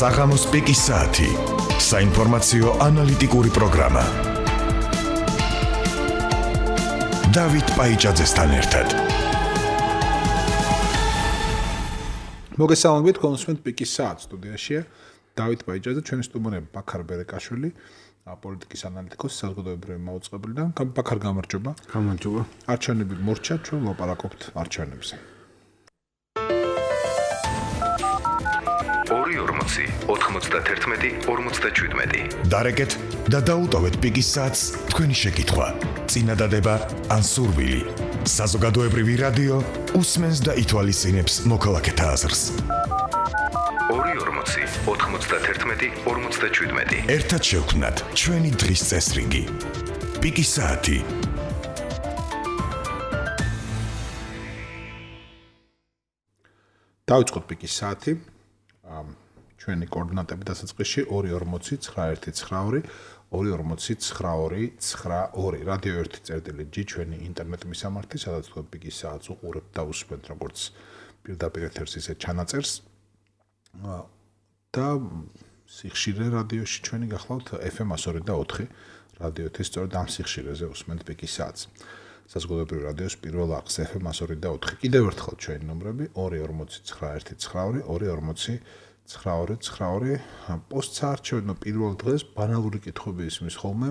საღამოს პიკის საათი. საინფორმაციო ანალიტიკური პროგრამა. დავით პაიჭაძესთან ერთად. მოგესალმებით, კონსუმენტ პიკის საათს სტუდიაშია დავით პაიჭაძე, ჩვენი სტუმრები ბაქარ ბერეკაშვილი, პოლიტიკის ანალიტიკოსი, საზოგადოებრივი მაუწყებელი და ბაქარ გამარჯობა. გამარჯობა. არჩევნები მორჩა, ჩვენ ვლაპარაკობთ არჩევნებზე. 2.40-91-47. დარეკეთ და დაუტოვეთ პიკის საათს თქვენი შეკითხვა. წინადადება ან სურვილი. საზოგადოებრივი რადიო უსმენს და ითვალისწინებს მოქალაქეთა აზრს. 2.40-91-47. ერთად შევქმნათ ჩვენი დღის წესრიგი. პიკის საათი. დავიწყოთ პიკის საათი. ჩვენი კოორდინატები დასაწყისში 2.40-91-92, 2.40-92-92, რადიო 1.G ჩვენი ინტერნეტ მისამართი, სადაც თქვენ პიკის საათს უყურებთ და უსმენთ როგორც პირდაპირ ეთერს, ისე ჩანაწერს. და სიხშირე რადიოში ჩვენი გახლავთ FM 102.4, რადიო 1 სწორედ ამ სიხშირეზე უსმენთ პიკის საათს. საზოგადოებრივი რადიოს პირველ არხს FM 102.4. კიდევ ერთხელ ჩვენი ნომრები 2.40-91-92, 2.40-92-92. პოსტს არჩევნო პირველ დღეს ბანალური კითხვები ისმის ხოლმე.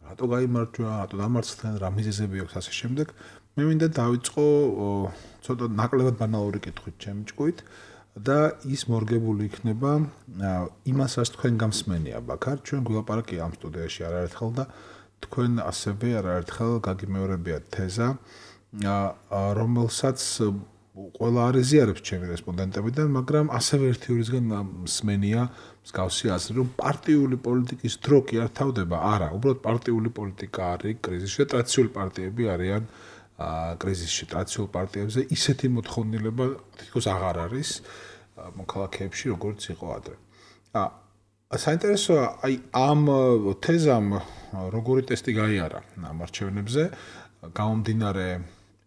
რატო გაიმარჯვა, რატო დამარცხდნენ, რა მიზეზები აქვს ასე შემდეგ. მე მინდა დავიწყო ცოტა ნაკლებად ბანალური კითხვით ჩემი ჭკუით და ის მორგებული იქნება იმას, რაც თქვენ გამსმენია ბაქარ. ჩვენ გულაპარაკია ამ სტუდიაში არაერთხელ და თქვენ ასევე არაერთხელ გაგიმეორებიათ თეზა, რომელსაც ყველა არ ეზიარებს ჩემი რესპონდენტებიდან, მაგრამ ასევე ერთიორისგან მსმენია მსგავსი აზრი, რომ პარტიული პოლიტიკის დრო კი არ თავდება, არა, უბრალოდ პარტიული პოლიტიკა არის კრიზისში, ტრადიციული პარტიები არიან კრიზისში, ტრადიციულ პარტიებზე ისეთი მოთხოვნილება თითქოს აღარ არის მოქალაქეებში, როგორც იყო ადრე. საინტერესოა, აი ამ თეზამ როგორი ტესტი გაიარა ამ არჩევნებზე, გამომდინარე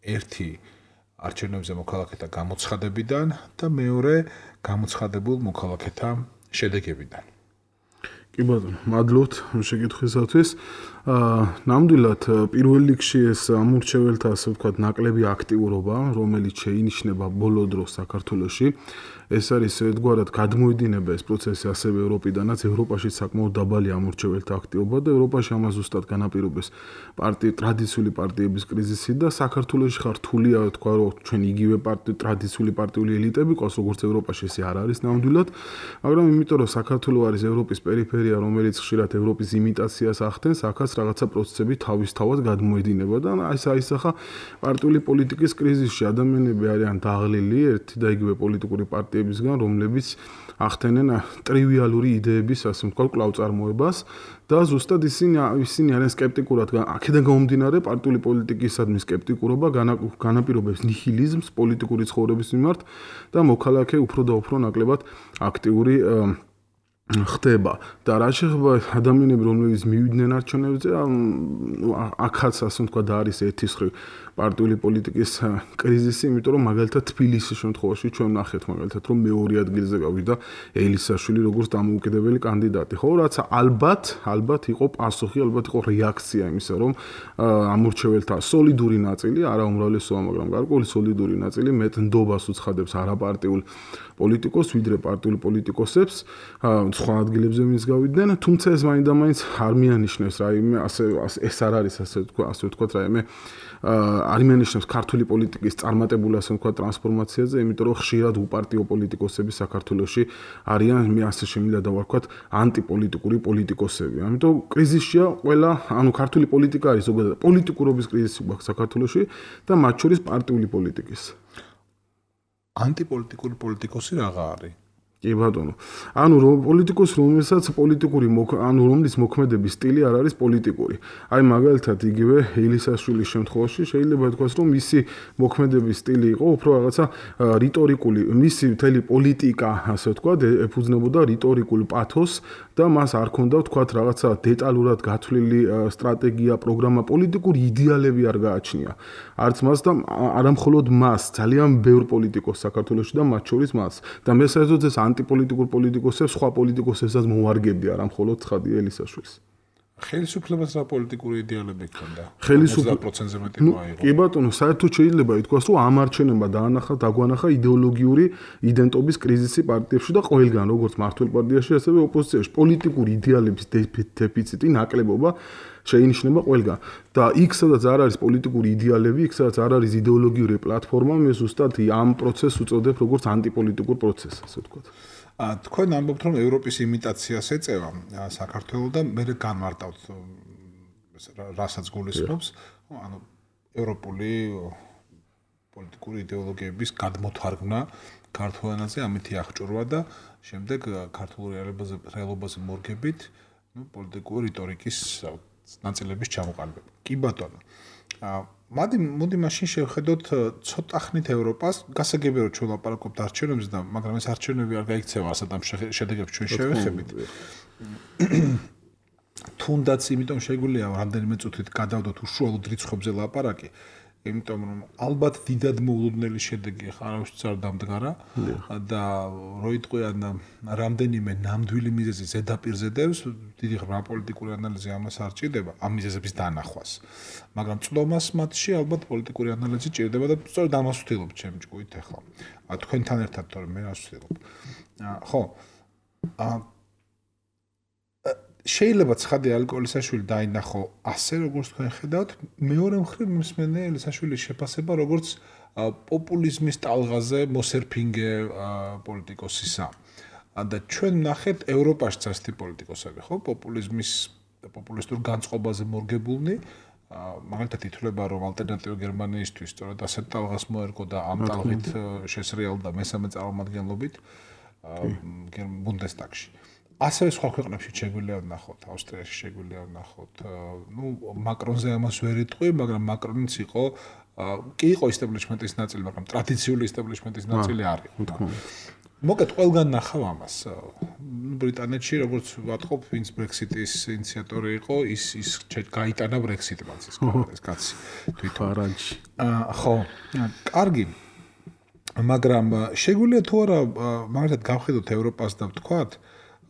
ერთი არჩევნებზე მოქალაქეთა გამოცხადებიდან და მეორე გამოცხადებულ მოქალაქეთა შედეგებიდან. კი ბატონო, მადლობთ შეკითხვისათვის. ნამდვილად პირველ რიგში ეს ამურჩეველთა ასე ვთქვათ ნაკლები აქტიურობა, რომელიც შეინიშნება ბოლო დროს საქართველოში, ეს არის ერთგვარად გადმოედინება ეს პროცესი ასევე ევროპიდანაც, ევროპაში საკმაოდ დაბალი ამურჩეველთა აქტივობა და ევროპაში ამას ზუსტად განაპირობებს ტრადიციული პარტიების კრიზისი და საქართველოში ხარ რთულია თქვა რომ ჩვენ იგივე ტრადიციული პარტიული ელიტები ყავს როგორც ევროპაში ესე არ არის ნამდვილად, მაგრამ იმიტომ რომ საქართველო არის ევროპის პერიფერია, რომელიც ხშირად ევროპის იმიტაციას ახდენს, აქაც რაღაცა პროცესები თავისთავად გადმოედინება და აისახა პარტიული პოლიტიკის კრიზისში ადამიანები არიან დაღლილი ერთი და იგივე პოლიტიკური პარტიებისგან, რომლებიც ახდენენ ტრივიალური იდეების ასე ვთქვათ კვლავწარმოებას და ზუსტად ისინი არიან სკეპტიკურად აქედან გამომდინარე პარტიული პოლიტიკისადმი სკეპტიკურობა განაპირობებს ნიჰილიზმს პოლიტიკური ცხოვრების მიმართ და მოქალაქე უფრო და უფრო ნაკლებად აქტიური ხდება და რა შეხება ადამიანები რომლებიც მივიდნენ არჩევნებზე აქაც ასე ვთქვათ არის ერთი მხრივ პარტიული პოლიტიკის კრიზისი, იმიტომ რომ მაგალითად თბილისის შემთხვევაში ჩვენ ნახეთ მაგალითად რომ მეორე ადგილზე გავიდა ელისაშვილი როგორც დამოუკიდებელი კანდიდატი. ხო, რაც ალბათ იყო პასუხი, ალბათ იყო რეაქცია იმისა, რომ ამურჩეველთა სოლიდური ნაწილი, არა უმრავლესობა, მაგრამ გარკვეული სოლიდური ნაწილი მეტ ნდობას უცხადებს არაპარტიულ პოლიტიკოსს, ვიდრე პარტიულ პოლიტიკოსებს, სხვა ადგილებზე ვინც გავიდნენ, თუმცა ეს მაინდამაინც არ მიანიშნებს რაიმე, ეს არ არის ასე ვთქვათ რაიმე არ მიანიშნებს ქართული პოლიტიკის წარმატებულ ასე ვთქვათ ტრანსფორმაციაზე, იმიტომ რომ ხშირად უპარტიო პოლიტიკოსები საქართველოში არიან, მე ასე შემიძლია დავარქვათ, ანტიპოლიტიკური პოლიტიკოსები. ამიტომ კრიზისია ყველა, ქართული პოლიტიკა არის ზოგადად პოლიტიკურობის კრიზისი გვაქვს საქართველოში და მათ შორის პარტიული პოლიტიკის. ანტიპოლიტიკური პოლიტიკოსი რაღა არის? კი ბატონო. ანუ პოლიტიკოს რომელსაც პოლიტიკური ანუ რომლის მოქმედების სტილი არ არის პოლიტიკური. აი მაგალითად იგივე ელისაშვილის შემთხვევაში შეიძლება ითქვას, რომ მისი მოქმედების სტილი იყო უფრო რაღაცა რიტორიკული, მისი მთელი პოლიტიკა, ასე ვთქვათ, ეფუძნებოდა რიტორიკულ პათოსს და მას არ ქონდა ვთქვათ რაღაცა დეტალურად გათვლილი სტრატეგია, პროგრამა, პოლიტიკური იდეალები არ გააჩნია. არც მას და არამხოლოდ მას, ძალიან ბევრ პოლიტიკოს საქართველოში და მათ შორის მას. და მე საერთოდ ეს ანტიპოლიტიკურ პოლიტიკოსებს, სხვა პოლიტიკოსებსაც მოვარგებდი, არამხოლოდ ცხადია ელისაშვილს. ხელისუფლებას რა პოლიტიკური იდეალები ჰქონდა? 50%-ზე მეტი რო აიღო. კი ბატონო, საერთოდ შეიძლება ითქვას, რომ ამ არჩევნებმა დაგვანახა იდეოლოგიური იდენტობის კრიზისი პარტიებში და ყველგან, როგორც მართლ პარტიაში, ასევე ოპოზიციაში, პოლიტიკური იდეალების დეფიციტი, ნაკლებობა შეინიშნება ყველგან. და იქ სადაც არ არის პოლიტიკური იდეალები, იქ სადაც არ არის იდეოლოგიური პლატფორმა, მე ზუსტად ამ პროცესს უწოდებ როგორც ანტიპოლიტიკურ პროცესს, ასე ვთქვათ. თქვენ ამბობთ, რომ ევროპის იმიტაციას ეწევა საქართველოს და მე განმარტავთ რასაც გულისხმობს, ანუ ევროპული პოლიტიკური იდეოლოგიების გადმოთარგმნა ქართულ ენაზე ამითი აღჭურვა და შემდეგ ქართულ რეალობაზე მორგებით, პოლიტიკური რიტორიკის ნაწილების ჩამოყალიბება. კი ბატონო. მოდი მაშინ შევხედოთ ცოტა ხნით ევროპას, გასაგებია რომ ჩვენ ლაპარაკობთ არჩევნებზე და მაგრამ ეს არჩევნები არ გაიქცევა ასეთ ამ შედეგებს ჩვენ შევეხებით. თუნდაც იმიტომ შეგვიძლია რამდენიმე წუთით გადავდოთ უშუალოდ რიცხვებზე ლაპარაკი, იმიტომ რომ ალბათ დიდად მოულოდნელი შედეგი არავისთვის არ დამდგარა და რო იტყვიან რამდენიმე ნამდვილი მიზეზი ზედაპირზე დევს, დიდი ღრმა პოლიტიკური ანალიზი ამას არ ჭირდება, ამ მიზეზების დანახვას. მაგრამ წლომას მათში ალბათ პოლიტიკური ანალიზი ჭირდება და სწორედ ამას ვთქვით ჩემი ჭკუით ახლა. თქვენთან ერთად თორემ მე რას ვთქვით. ხო. შეიძლება ცხადი ალკოჰოლისაშვილი დაინახო ასე როგორც თქვენ ხედავთ, მეორე მხრივ მსმენელია ელისაშვილის შეფასება როგორც პოპულიზმის ტალღაზე მოსერფინგე პოლიტიკოსისა. და ჩვენ ნახეთ ევროპაშიც ასეთი პოლიტიკოსები, ხო, პოპულიზმის და პოპულისტურ განწყობაზე მორგებულნი, მაგალითად ითვლება რომ ალტერნატივა გერმანიისთვის სწორედ ასეთ ტალღას მოერგო და ამ ტალღით შესრიალდა მესამე წარმომადგენლობით ბუნდესტაგში. ასევე სხვა ქვეყნებში შეგვიძლია ვნახოთ, ავსტრიაში შეგვიძლია ვნახოთ. მაკრონზე ამას ვერ იტყვი, მაგრამ მაკრონიც იყო კი იყო ისტაბლიშმენტის ნაწილი, მაგრამ ტრადიციული ისტაბლიშმენტის ნაწილი არ იყო. მოკეთ ყველგან ნახავ ამას. ბრიტანეთში როგორც ვატყობ, ვინც ბრექსიტის ინიციატორი იყო, ის გაიტანა ბრექსიტმა ეს კაცი თვითონ. არანჯი. ხო, კარგი. მაგრამ შეგვიძლია თუ არა მაგალითად გავხედოთ ევროპას და ვთქვათ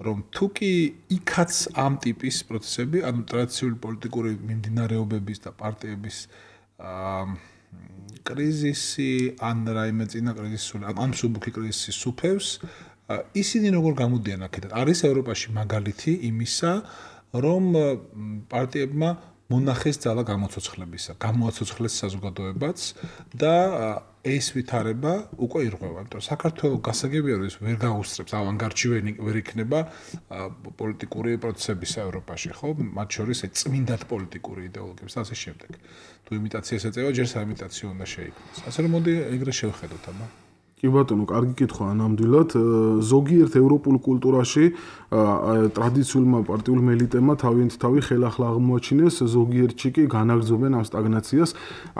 რომ თუკი იქაც ამ ტიპის პროცესები, ანუ ტრადიციული პოლიტიკური მიმდინარეობების და პარტიების კრიზისი, ან რაიმე წინა კრიზისი, ან მსუბუქი კრიზისი სუფევს, ისინი როგორ გამოდიან აქედან? არის ევროპაში მაგალითი იმისა, რომ პარტიებმა მონახეს ძალა გამოცოცხლებისა, გამოაცოცხლეს საზოგადოებაც და ეს ვითარება უკვე ირღვევა. იმიტომ საქართველოს გასაგებია რომ ეს ვერ გაუსწრებს, ავანგარდში ვერ იქნება პოლიტიკური პროცესებისა ევროპაში, ხო? მათ შორის წმინდად პოლიტიკური იდეოლოგიების და ასე შემდეგ. თუ იმიტაციას ეწევა, ჯერ საიმიტაციო უნდა შეიქმნას. ასე რომ მოდი ეგრე შევხედოთ აბა. კი ბატონო, კარგი კითხვა ნამდვილად. ზოგიერთ ევროპულ კულტურაში ტრადიციულმა პარტიულმა ელიტებმა თავი ხელახლა აღმოაჩინეს, ზოგიერთში კი განაგრძობენ ამ სტაგნაციას.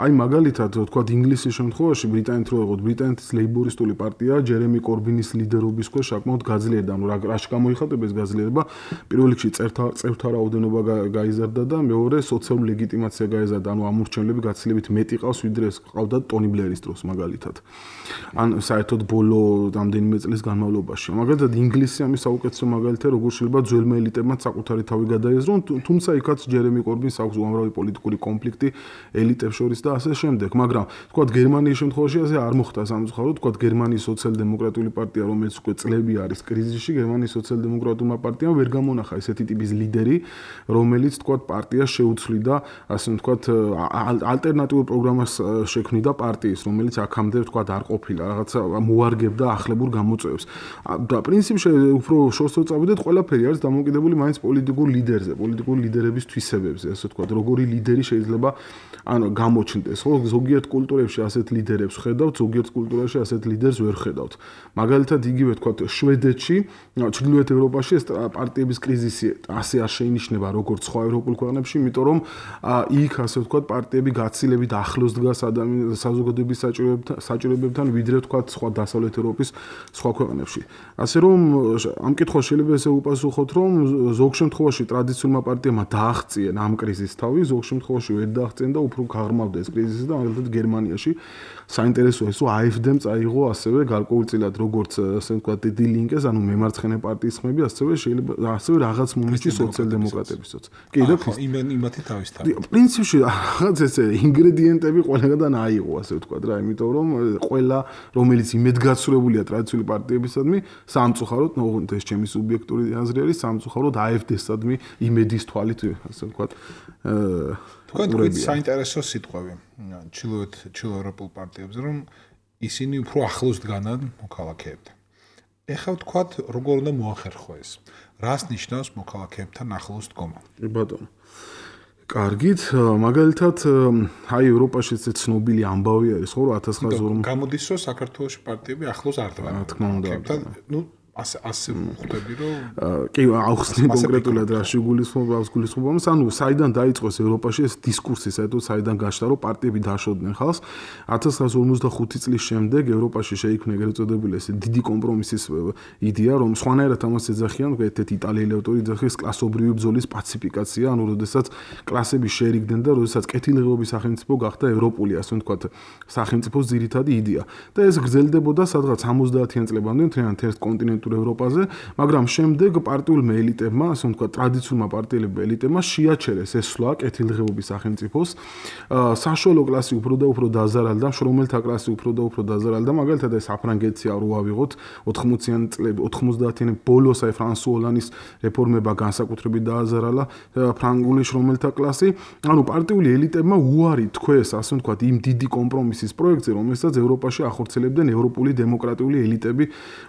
აი მაგალითად, ვთქვათ, ინგლისის შემთხვევაში ბრიტანეთ რო ეღოთ, ბრიტანეთის ლეიბორისტული პარტია ჯერემი კორბინის ლიდერობის ქვეშ საკმაოდ გაძლიერდა. ანუ რაში გამოიხატება ეს გაძლიერება? პირველ რიგში წევრთა რაოდენობა გაიზარდა და მეორე სოციალური ლეგიტიმაცია გაიზარდა. ანუ ამურჩევლები გაცილებით მეტი ყავს, ვიდრე ეს ყავდათ ტონი ბლერის დროს მაგალითად. ან საერთოდ ბოლო რამდენიმე წლის განმავლობაში. მაგალითად ინგლისი ამის საუკეთესო მაგალითია, როგორ შეიძლება ძველმა ელიტებმა საკუთარი თავი გადაეზრონ, თუმცა იქაც ჯერემი კორბინს აქვს უამრავი პოლიტიკური კონფლიქტი ელიტებს შორის და ასე შემდეგ. მაგრამ თქვათ გერმანიის შემთხვევაში ასე არ მოხდა სამწუხაროდ, თქვათ გერმანიის სოციალ-დემოკრატიული პარტია, რომელიც უკვე წლები არის კრიზისში, გერმანიის სოციალ-დემოკრატულმა პარტიამ ვერ გამონახა ესეთი ტიპის ლიდერი, რომელიც თქვათ პარტიას შეუცვლიდა, ასე თქვათ ალტერნატიულ პროგრამას შექმნიდა პარტიის, რომელიც აქამდე თქვათ არ ყოფილა. რაღაცა მოარგებდა ახლებურ გამოწვევებს. და პრინციპში უფრო შორს წავიდეთ, ყველაფერი არის დამოკიდებული მაინც პოლიტიკურ ლიდერზე, პოლიტიკური ლიდერების თვისებებზე, ასე ვთქვათ, როგორი ლიდერი შეიძლება გამოჩნდეს. ხო, ზოგიერთ კულტურებში ასეთ ლიდერებს ხედავთ, ზოგიერთ კულტურაში ასეთ ლიდერს ვერ ხედავთ. მაგალითად, იგივე ვთქვათ, შვედეთში, ჩრდილოეთ ევროპაში ეს პარტიების კრიზისი ასე არ შეინიშნება როგორც სხვა ევროპულ ქვეყნებში, იმიტომ რომ იქ ასე ვთქვათ, პარტიები გაცილებით ახლოს დგას საზოგადოების საჭიროებებთან, ვიდრე ვთქვათ, სხვა დასავლეთ ევროპის სხვა ქვეყნებში. ასე რომ ამ კითხვას შეიძლება ესე უპასუხოთ, რომ ზოგ შემთხვევაში ტრადიციულმა პარტიებმა დააღწიენ ამ კრიზისს თავი, ზოგ შემთხვევაში ვერ დააღწიენ და უფრო გაღრმავდა ეს კრიზისი და მაგალითად გერმანიაში საინტერესოა ის, რომ AfD-მ წაიღო ასევე გარკვეულწილად როგორც ასე ვთქვათ, Die Linke-ს, ანუ მემარცხენე პარტიის ხმები, ასევე შეიძლება ასევე რაღაც მომენტში სოციალ-დემოკრატებისაც. კი, და იმათი თავისთავად. პრინციპში რაღაც ესე ინგრედიენტები ყველგან აიღო, ასე ვთქვათ რა, იმიტომ რომ ყველა რომელიც იმედგაცრუებულია ტრადიციული პარტიებისადმი, სამწუხაროდ, ეს ჩემი სუბიექტური აზრი არის, სამწუხაროდ AfD-სადმი იმედის თვალით, ასე ვთქვათ, თქვენ თქვით საინტერესო სიტყვები ჩრდილოევროპულ პარტიებზე, რომ ისინი უფრო ახლოს დგანან მოქალაქეებთან. ეხლა ვთქვათ, როგორ უნდა მოახერხო ეს? რას ნიშნავს მოქალაქეებთან ახლოს დგომა? ბატონო. კარგით, მაგალითად, აი ევროპაში ეს ცნობილი ამბავი არის, ხო, 1940 გამოდის, რომ საქართველოში პარტიები ახლოს არ დგანან. რა თქმა უნდა. ნუ ასე ხვდები, რომ კი, ახსნი კონკრეტულად რაში გულისხმობ, ანუ საიდან დაიწყო ევროპაში ეს დისკურსი, საერთოდ საიდან გაჩნდა, რომ პარტიები დაშოდნენ ხალხს. 1955 წლის შემდეგ ევროპაში შეიქმნა ეგრეთ წოდებული ეს დიდი კომპრომისის იდეა, რომ სხვანაირად ამას ეძახიან, ერთ-ერთი იტალიელი ავტორი ეძახის კლასობრივი ბრძოლის პაციფიკაცია, ანუ როდესაც კლასები შეერიგდნენ და როდესაც კეთილდღეობის სახელმწიფო გახდა ევროპული, ასე ვთქვათ, სახელმწიფოს ძირითადი იდეა. და ეს გრძელდებოდა სადღაც 70-იან წლებამდე მთლიანად ერთ კონტინენტურ ევროპაზე, მაგრამ შემდეგ პარტიულმა ელიტებმა, ასე ვთქვათ, ტრადიციულმა პარტიელებმა ელიტებმა შეაჩერეს ეს სვლა კეთილდღეობის სახელმწიფოს. საშუალო კლასი უფრო და უფრო დაზარალდა, მშრომელთა კლასი უფრო და უფრო დაზარალდა, მაგალითად ეს საფრანგეთში არ ვავიღოთ 80-იან წლები, 90-იანი ბოლოს აი ფრანსუა ოლანის რეფორმება განსაკუთრებით დააზარალა ფრანგული შრომელთა კლასი. ანუ პარტიული ელიტებმა უარი თქვეს, ასე ვთქვათ, იმ დიდი კომპრომისის პროექტზე, რომელსაც ევროპაში ახორციელებდნენ ევროპული დემოკრატიული ელიტები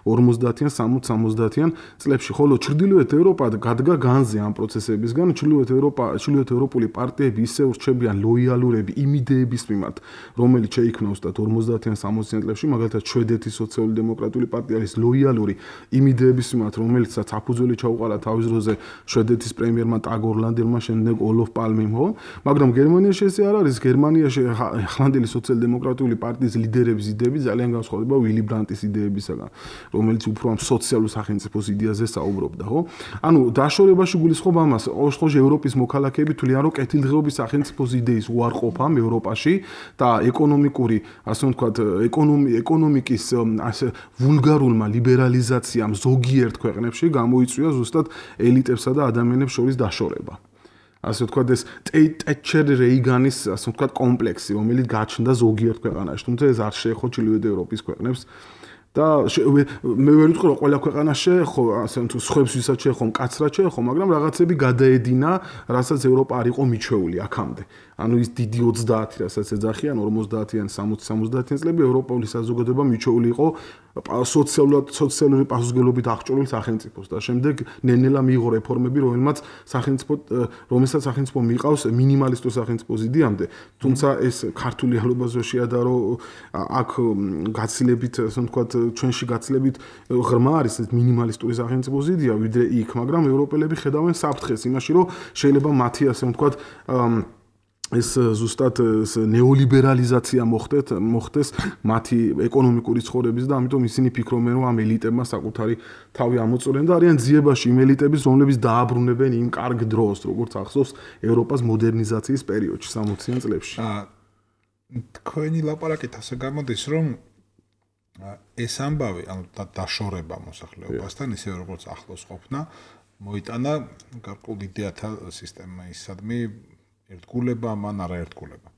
50-იან 60-70-იან წლებში, ხოლო ჩრდილოეთ ევროპა გადგა განზე ამ პროცესებისგან. ჩრდილოეთ ევროპული პარტიები ისევ რჩებიან ლოიალურები იმ იდეების მიმართ, რომელიც შეიქმნა უბრალოდ 50-იან 60-იან წლებში, მაგალითად შვედეთის სოციალ-დემოკრატიული პარტია არის ლოიალური იმ იდეების მიმართ, რომელიცაც საფუძველი ჩაუყარა თავის დროზე შვედეთის პრემიერმა ტაგ ორლანდერმა, შემდეგ ოლოფ პალმემ, ხო? მაგრამ გერმანიაში ესე არ არის. გერმანიაში ახლანდელი სოციალ-დემოკრატიული პარტიის ლიდერების იდეები ძალიან განსხვავდება ვილი ბრანტის იდეებისგან, რომელიც უფრო ამ სოციალურ სახელმწიფოს იდეაზე საუბრობდა, ხო? ანუ დაშორებაში გულისხმობ ამას, ოშხოჟ ევროპის მოქალაქეები თვლიან, რომ კეთილდღეობის სახელმწიფოს იდეის უარყოფამ ევროპაში და ეკონომიკური, ასე ვთქვათ, ეკონომიკის ასე ვულგარულმა ლიბერალიზაციამ ზოგიერთ ქვეყნებში გამოიწვია ზუსტად ელიტებსა და ადამიანებს შორის დაშორება. ასე ვთქვათ, ეს ტეტჩერ რეიგანის, ასე ვთქვათ, კომპლექსი, რომელიც გაჩნდა ზოგიერთ ქვეყანაში, თუმცა ეს არ შეეხო ჩრდილოეთ ევროპის ქვეყნებს. და მე ვერ ვიტყვი, რომ ყველა ქვეყანა შეეხო, ასე თუ სხვებს ვისაც შეეხო, მკაცრად შეეხო, მაგრამ რაღაცები გადაედინა, რასაც ევროპა არ იყო მიჩვეული აქამდე. ანუ ის დიდი 30, რასაც ეძახიან 50-იან, 60-70-იან წლები ევროპული საზოგადოება მიჩვეული იყო სოციალური პასუხისმგებლობით აღჭურვილ სახელმწიფოს და შემდეგ ნელ-ნელა მიიღო რეფორმები, რომელსაც სახელმწიფო მიყავს მინიმალისტურ სახელმწიფოს იდეამდე. თუმცა ეს ქართული რეალობაზე შეადარო აქ გაცილებით, ასე ვთქვათ, ჩვენში გაცილებით ღრმა არის ეს მინიმალისტური სახელმწიფოს იდეა, ვიდრე იქ, მაგრამ ევროპელები ხედავენ საფრთხეს იმაში, რომ შეიძლება მათი, ასე ვთქვათ, ეს ზუსტად ნეოლიბერალიზაცია მოხდეს მათი ეკონომიკური ცხოვრების და ამიტომ ისინი ფიქრობენ, რომ ამ ელიტებმა საკუთარი თავი ამოწურեն და არიან ძიებაში იმ ელიტების, რომლებიც დააბრუნებენ იმ კარგ დროს, როგორც ახსოვს ევროპას მოდერნიზაციის პერიოდში 60-იან წლებში. თქვენი ლაპარაკით ასე გამოდის, რომ ეს ამბავი, ანუ დაშორება მოსახლეობასთან, ისე როგორც ახლოს ყოფნა, მოიტანა გარკვეულ იდეათა სისტემისადმი ერთგულება, მან არაერთგულება.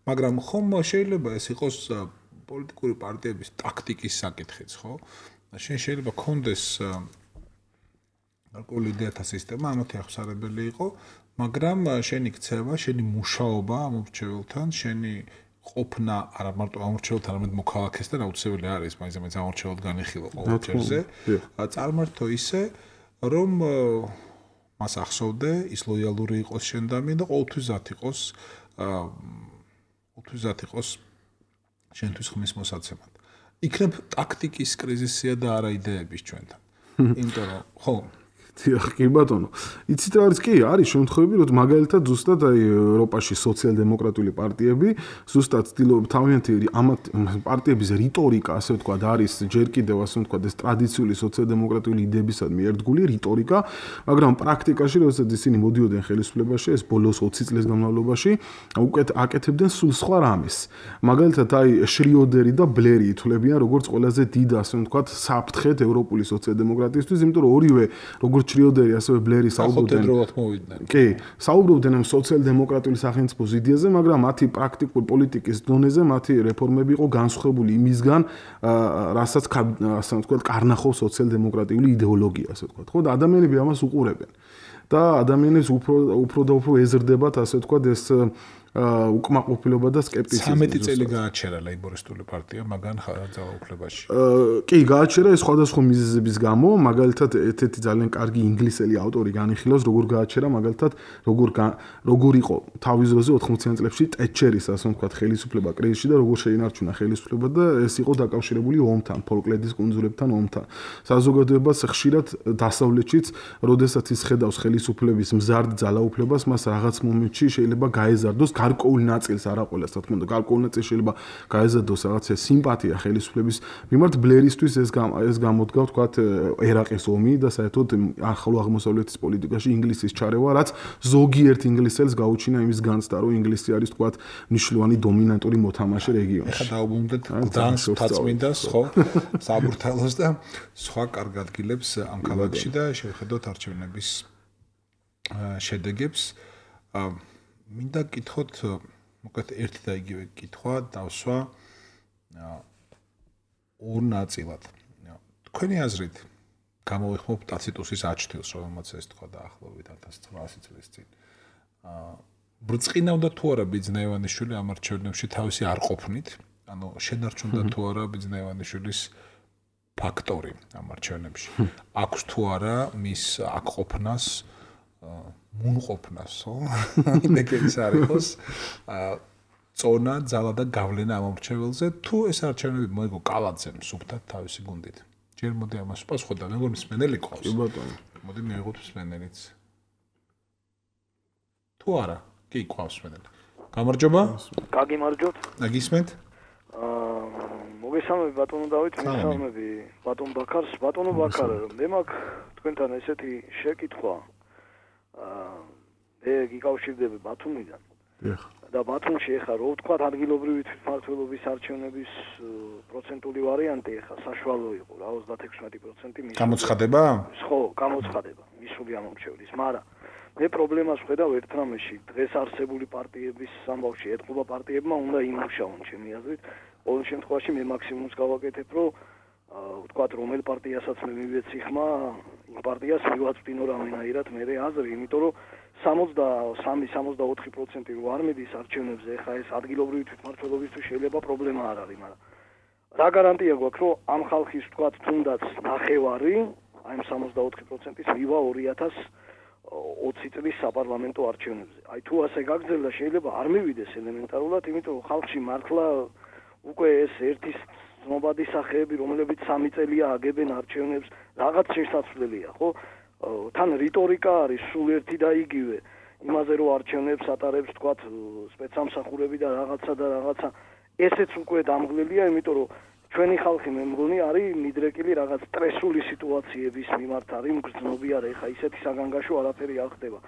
მაგრამ ხომ შეიძლება ეს იყოს პოლიტიკური პარტიების ტაქტიკის საკითხიც, ხო? შენ შეიძლება კონდეს გარკვეული იდეათა სისტემა, ამათი ახსარებელი იყო, მაგრამ შენი ქცევა, შენი მუშაობა ამ მრჩეველთან, შენი ყოფნა არა მარტო ამორჩეულთან, არამედ მოქალაქესთან აუცილებელი არის, მაინც ამორჩეულად განიხილო ყოველ ჯერზე. წარმართო ისე, რომ მას ახსოვდე, ის ლოიალური იყოს შენდამი და ყოველთვის ზათ იყოს შენთვის ხმის მოსაცემად. იქნებ ტაქტიკის კრიზისია და არა იდეების ჩვენთან. იმიტომ რომ ხო კი ბატონო. იცით რა არის? კი, არის შემთხვევები, რომ მაგალითად ზუსტად აი ევროპაში სოციალ-დემოკრატიული პარტიები ზუსტად ცდილობენ თავიანთი ამათ პარტიების რიტორიკა, ასე ვთქვათ, არის ჯერ კიდევ ასე ვთქვათ, ეს ტრადიციული სოციალ-დემოკრატიული იდეებისადმი ერთგული რიტორიკა, მაგრამ პრაქტიკაში, როდესაც ისინი მოდიოდნენ ხელისუფლებაში, ეს ბოლოს 20 წლის განმავლობაში, უკეთ აკეთებდნენ სულ სხვა რამეს. მაგალითად, აი შრიოდერი და ბლერი ითვლებიან როგორც ყველაზე დიდ, ასე ვთქვათ, საფრთხედ ევროპული სოციალ-დემოკრატიისთვის, იმიტომ რომ ორივე როგორც შრიოდერი ასევე ბლერი საუბრობდნენ. კი, საუბრობდნენ ამ სოციალ-დემოკრატიული სახელმწიფოს იდეაზე, მაგრამ მათი პრაქტიკულ პოლიტიკის დონეზე მათი რეფორმები იყო განსხვავებული იმისგან, რასაც ასე ვთქვათ, კარნახობს სოციალ-დემოკრატიული იდეოლოგია, ასე ვთქვათ. ხო, და ადამიანები ამას უყურებენ. და ადამიანებს უფრო და უფრო ეზრდებათ, ასე ვთქვათ, ეს უკმაყოფილება და სკეპტიციზმი. 13 წელი გააჩერა ლეიბორისტული პარტია მაგან ძალაუფლებაში. კი, გააჩერა ეს სხვადასხვა მიზეზების გამო, მაგალითად ერთ-ერთი ძალიან კარგი ინგლისელი ავტორი განიხილავს, როგორ გააჩერა, მაგალითად, როგორ იყო თავის დროზე 80-იან წლებში ტეტჩერის, ასე ვთქვათ, ხელისუფლება კრიზისში და როგორ შეინარჩუნა ხელისუფლება და ეს იყო დაკავშირებული ომთან, ფოლკლენდის კუნძულებთან ომთან. საზოგადოებას ხშირად დასავლეთშიც, როდესაც ის ხედავს ხელისუფლების მზარდ ძალაუფლებას, მას რაღაც მომენტში შეიძლება გაეზარდოს გარკვეულ ნაწილს არა ყველას, რა თქმა უნდა, გარკვეულ ნაწილს შეიძლება გაეზადოს რაღაცა სიმპათია ხელისუფლების მიმართ. ბლერისთვის ეს გამოდგა, ვთქვათ, ერაყის ომი და საერთოდ ახლო აღმოსავლეთის პოლიტიკაში ინგლისის ჩარევა, რაც ზოგიერთ ინგლისელს გაუჩინა იმის განცდა, რომ ინგლისი არის, ვთქვათ, მნიშვნელოვანი დომინანტური მოთამაშე რეგიონში. ეხლა დაუბრუნდეთ გდანსკს, თაწმინდას, ხო, საბურთალოს და სხვა კარგ ადგილებს ამ ქალაქში და შევხედოთ არჩევნების შედეგებს. მინდა გკითხოთ, მოკლედ ერთი და იგივე კითხვა დავსვა ორ ნაწილად. თქვენი აზრით გამოვიხმობ ტაციტუსის აჩთილს, რომელმაც ეს თქვა დაახლოებით 1900 წლის წინ. ბრწყინავდა თუ არა ბიძნაევანიშვილი ამ არჩევნებში თავისი არ ყოფნით, ანუ შენარჩუნდა თუ არა ბიძნაევანიშვილის ფაქტორი ამ არჩევნებში. აქვს თუ არა მის აქ ყოფნას მუნყოფნას, ხო? იმეკეც არ იყოს წონა, ძალა და გავლენა ამ არჩევნებზე, თუ ეს არჩევნები მოიგო კალაძემ სუფთად თავისი გუნდით. ჯერ მოდი ამას პასუხო და მეგონი მსმენელი ყავს. კი ბატონო. მოდი მიიღოთ მსმენელიც. თუ არა, კი ყავს მსმენელი. გამარჯობა. გაგიმარჯობთ. გისმენთ? მოგესალმები ბატონო დავით, მოგესალმები ბატონ ბაქარს. ბატონო ბაქარ, მე მაქვს თქვენთან ესეთი შეკითხვა. მე გიკავშირდები ბათუმიდან. და ბათუმში ეხლა რო ვთქვათ ადგილობრივი თვითმმართველობის არჩევნების პროცენტული ვარიანტი ეხლა საშუალო იყო რა 36% გამოცხადება? ხო, გამოცხადება მისული ამომრჩევლის, მაგრამ მე პრობლემას ვხედავ ერთ რამეში, დღეს არსებული პარტიების ამბავში ეთყობა პარტიებმა უნდა იმუშაონ ჩემი აზრით. ყოველ შემთხვევაში მე მაქსიმუმს გავაკეთებ, რომ ვთქვათ რომელ პარტიასაც მე მივეცი ხმა, იმ პარტიას მივაწვდინო რამენაირად მე აზრი, იმიტომ რომ 63-64% რო არ მიდის არჩევნებზე, ეხლა ეს ადგილობრივი თვითმმართველობისთვის შეიძლება პრობლემა არ არის, მაგრამ რა გარანტია გვაქვს, რომ ამ ხალხის ვთქვათ თუნდაც ნახევარი, აი ამ 64%-ის მივა 2020 წლის საპარლამენტო არჩევნებზე. აი თუ ასე გაგრძელდა შეიძლება არ მივიდეს ელემენტარულად, იმიტომ რომ ხალხში მართლა უკვე ეს ერთის ცნობადი სახეები, რომლებიც 3 წელია აგებენ არჩევნებს, რაღაც შესაძლებელია, ხო? თან რიტორიკა არის სულ ერთი და იგივე. იმაზე რომ არჩევნებს ატარებს, თქვათ, სპეცსამსახურები და რაღაცა. ესეც უკვე დამღლელია, იმიტომ რომ ჩვენი ხალხი მე მგონი არის მიდრეკილი რაღაც სტრესული სიტუაციების მიმართ არის მგრძნობი არა, ეხა ისეთი საგანგაშო არაფერი არ ხდება.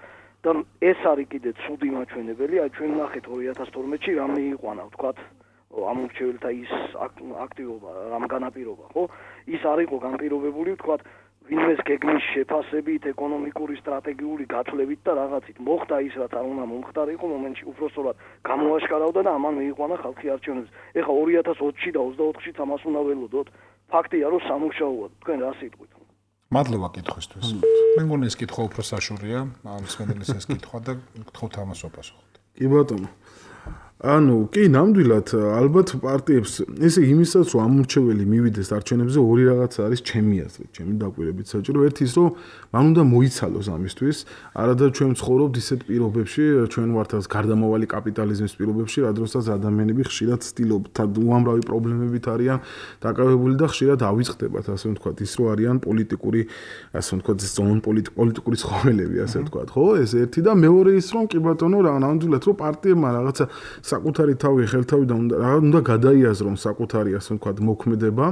და ეს არის კიდე ცუდი მაჩვენებელი, აი ჩვენ ნახეთ 2012-ში რა მიიყვანა, თქვათ, ამორჩეველთა ის აქტივობა, რამ განაპირობა, ხო? ის არ იყო განპირობებული, თქვათ, ვინმეს გეგმის შეფასებით, ეკონომიკური, სტრატეგიული გათვლებით და რაღაცით მოხდა ის, რაც არ უნდა მომხდარიყო მომენტში, უბრალოდ გამოაშკარავდა და ამან მიიყვანა ხალხი არჩევნებს. ეხლა 2020-ში და 24-შიც ამას უნდა ველოდოთ. ფაქტია, რომ სამუშაოა. თქვენ რა სიტყვით? მადლობა კითხვისთვის. მე მგონი ეს კითხვა უფრო საშურია, მსმენელის ეს კითხვა და გთხოვთ ამას ვაპასუხოთ. კი ბატონო. ანუ კი ნამდვილად ალბათ პარტიებს ესე იმისაც რომ ამორჩეველი მივიდეს არჩევნებზე ორი რაღაც არის ჩემი აზრით, ჩემი დაკვირვებით საჭირო. ერთი ის რომ მან უნდა მოიცალოს ამისთვის, არადა ჩვენ ვცხოვრობთ ისეთ პირობებში, ჩვენ ვართ ეს გარდამავალი კაპიტალიზმის პირობებში, რა დროსაც ადამიანები ხშირად ცდილობთ უამრავი პრობლემებით არიან დაკავებული და ხშირად ავიწყდებათ, ასე ვთქვათ, ის რომ არიან პოლიტიკური, ასე ვთქვათ, პოლიტიკური ცხოველები, ასე ვთქვათ, ხო? ეს ერთი და მეორე ის რომ კი ბატონო, რა ნამდვილად რომ პარტიებმა რაღაცა საკუთარი თავი ხელთავიდან უნდა გადაიაზრონ საკუთარი ასე ვთქვათ მოქმედება,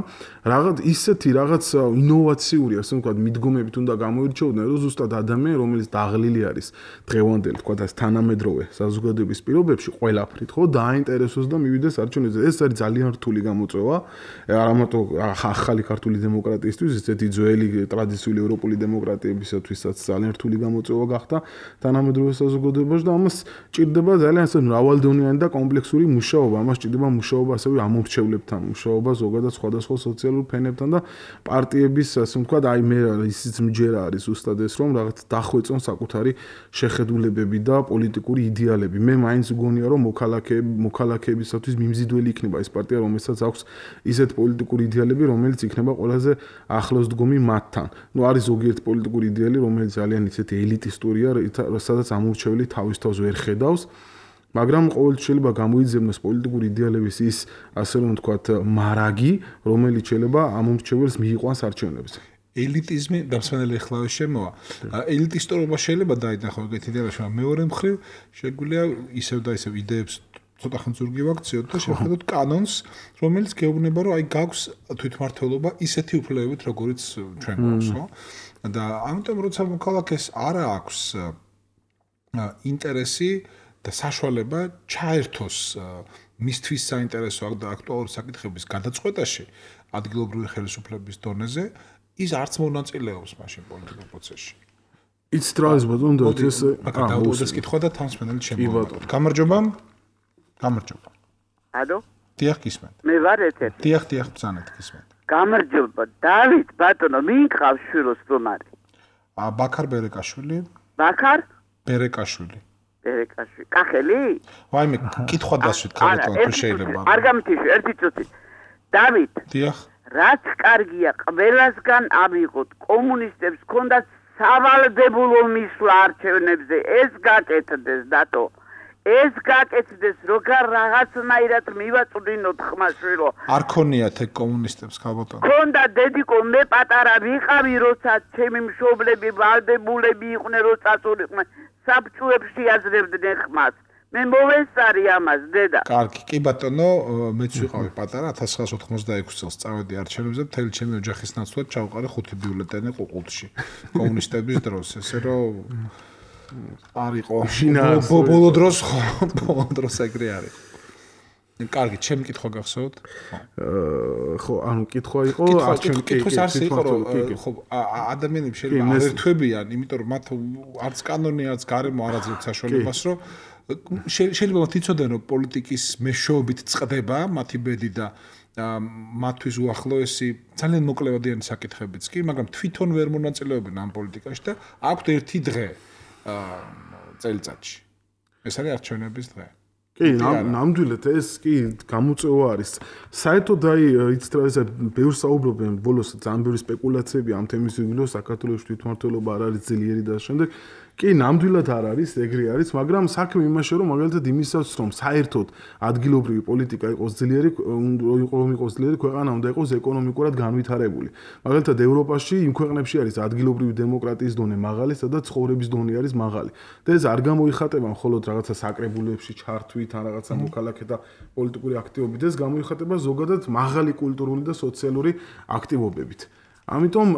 რაღაც ისეთი რაღაც ინოვაციური ასე ვთქვათ მიდგომებით უნდა გამოირჩეოდნენ, რომ ზუსტად ადამიანი, რომელიც დაღლილი არის დღევანდელ ვთქვათ ეს თანამედროვე საზოგადოების პირობებში ყველაფრით, ხო, დააინტერესოს და მივიდეს არჩევნებზე. ეს არის ძალიან რთული გამოწვევა, არა მარტო ახალი ქართული დემოკრატიისთვის, ესეთი ძველი ტრადიციული ევროპული დემოკრატიებისათვისაც ძალიან რთული გამოწვევა გახდა თანამედროვე საზოგადოებაში და ამას ჭირდება ძალიან ასე მრავალდონიანი და კომპლექსური მუშაობა. ამას ჭირდება მუშაობა ასევე ამორჩევლებთან, მუშაობა ზოგადად სხვადასხვა სოციალურ ფენებთან და პარტიების ასე ვთქვათ, აი მე ისიც მჯერა არის ზუსტად ეს რომ რაღაც დახვეწონ საკუთარი შეხედულებები და პოლიტიკური იდეალები. მე მაინც მგონია რომ მოქალაქეებისათვის მიმზიდველი იქნება ეს პარტია, რომელსაც აქვს ისეთ პოლიტიკური იდეალები, რომელიც იქნება ყველაზე ახლოს დგომი მათთან. ნუ არის ზოგიერთი პოლიტიკური იდეალი, რომელიც ძალიან ისეთი ელიტისტურია, სადაც ამორჩეველი თავის თავს ვერ ხედავს. მაგრამ ყოველთვის შეიძლება გამოიძებნოს პოლიტიკური იდეალების ის, ასე რომ ვთქვათ, მარაგი, რომელიც შეიძლება ამორჩეველს მიიყვანს არჩევნებზე. ელიტიზმი დამსვენელი ხლავე შემოვა. ელიტისტურობა შეიძლება დაინახო ეგეთ იდეაში, მაგრამ მეორე მხრივ შეგვიძლია ისევ და ისევ იდეებს ცოტა ხნ ზურგი ვაქციოთ და შევხედოთ კანონს, რომელიც გეუბნება, რომ აი გაქვს თვითმმართველობა ისეთი უფლებებით, როგორიც ჩვენ გვაქვს, ხო? და ამიტომ როცა მოქალაქეს არა აქვს ინტერესი და საშუალება ჩაერთოს მისთვის საინტერესო და აქტუალური საკითხების გადაწყვეტაში ადგილობრივი ხელისუფლების დონეზე, ის არც მონაწილეობს მაშინ პოლიტიკურ პროცესში. იცით რა არის ბატონო და ეს დაუდეს კითხვა და თანმსმენელი შემოვაყოთ. გამარჯობა. გამარჯობა. ალო? დიახ, გისმენთ. მე ვარ ეთერი. დიახ, ბრძანეთ, გისმენთ. გამარჯობა. დავით ბატონო, ვინ ყავს შვილოს სტუმარი? ბაქარ ბერეკაშვილი. ბაქარ? ბერეკაშვილი. ბერეკაშვილი. კახელი? ვაიმე, კითხვა დასვით, ქალბატონო, თუ შეიძლება. არ გამთიშვი, ერთი წუთი. დავით. დიახ. რაც კარგია, ყველასგან ავიღოთ, კომუნისტებს ქონდათ სავალდებულო მისვლა არჩევნებზე, ეს გაკეთდეს დათო. ეს გაკეთდეს, როგორ რაღაცნაირად მივაწვდინოთ ხმაშვილო. არ ქონიათ ეგ კომუნისტებს, ქალბატონო. ქონდა დედიკო, მე პატარა ვიყავი, როცა ჩემი მშობლები ვალდებულები იყვნენ, როცა წულიყვნენ, საბჭოებში აზრებდნენ ხმას. მე მოვესწარი ამას, დედა. კარგი, კი ბატონო, მეც ვიყავი პატარა 1986 წელს წავედი არჩევნებზე, მთელი ჩემი ოჯახის ნაცვლად ჩავყარე 5 ბიულეტენი ყუყულში. კომუნისტების დროს, ესე რომ არ იყო. ბოლო დროს ეგრე არის. კარგი, ჩემი კითხვა გახსოვთ? ხო, ანუ კითხვა იყო კითხვის არ იყო, რომ ხო ადამიანები შეიძლება არ ერთვებიან, იმიტომ რომ მათ არც კანონი, არც გარემო არ აძლევს საშუალებას, რომ შეიძლება მათ იცოდნენ, რომ პოლიტიკის მეშვეობით წყდება მათი ბედი და მათთვის უახლოესი ძალიან მოკლევადიანი საკითხებიც კი, მაგრამ თვითონ ვერ მონაწილეობენ ამ პოლიტიკაში და აქვთ ერთი დღე წელიწადში. ეს არის არჩევნების დღე. კი, ნამდვილად ეს კი გამოწვევა არის. საერთოდ აი იცით რა ესე ბევრ საუბრობენ ბოლოს ძალიან ბევრი სპეკულაციები ამ თემის იგულო საქართველოს თვითმმართველობა არ არის ძლიერი და შემდეგ კი, ნამდვილად არ არის, ეგრე არის, მაგრამ საქმე იმაშია, რომ მაგალითად იმისაც, რომ საერთოდ ადგილობრივი პოლიტიკა იყოს ძლიერი, რომ იყოს ძლიერი, ქვეყანა უნდა იყოს ეკონომიკურად განვითარებული. მაგალითად ევროპაში იმ ქვეყნებში არის ადგილობრივი დემოკრატიის დონე მაღალი, სადაც ცხოვრების დონე არის მაღალი. და ეს არ გამოიხატება მხოლოდ რაღაცა საკრებულებში ჩართვით, ან რაღაცა მოქალაქეთა პოლიტიკური აქტივობით, ეს გამოიხატება ზოგადად მაღალი კულტურული და სოციალური აქტივობებით. ამიტომ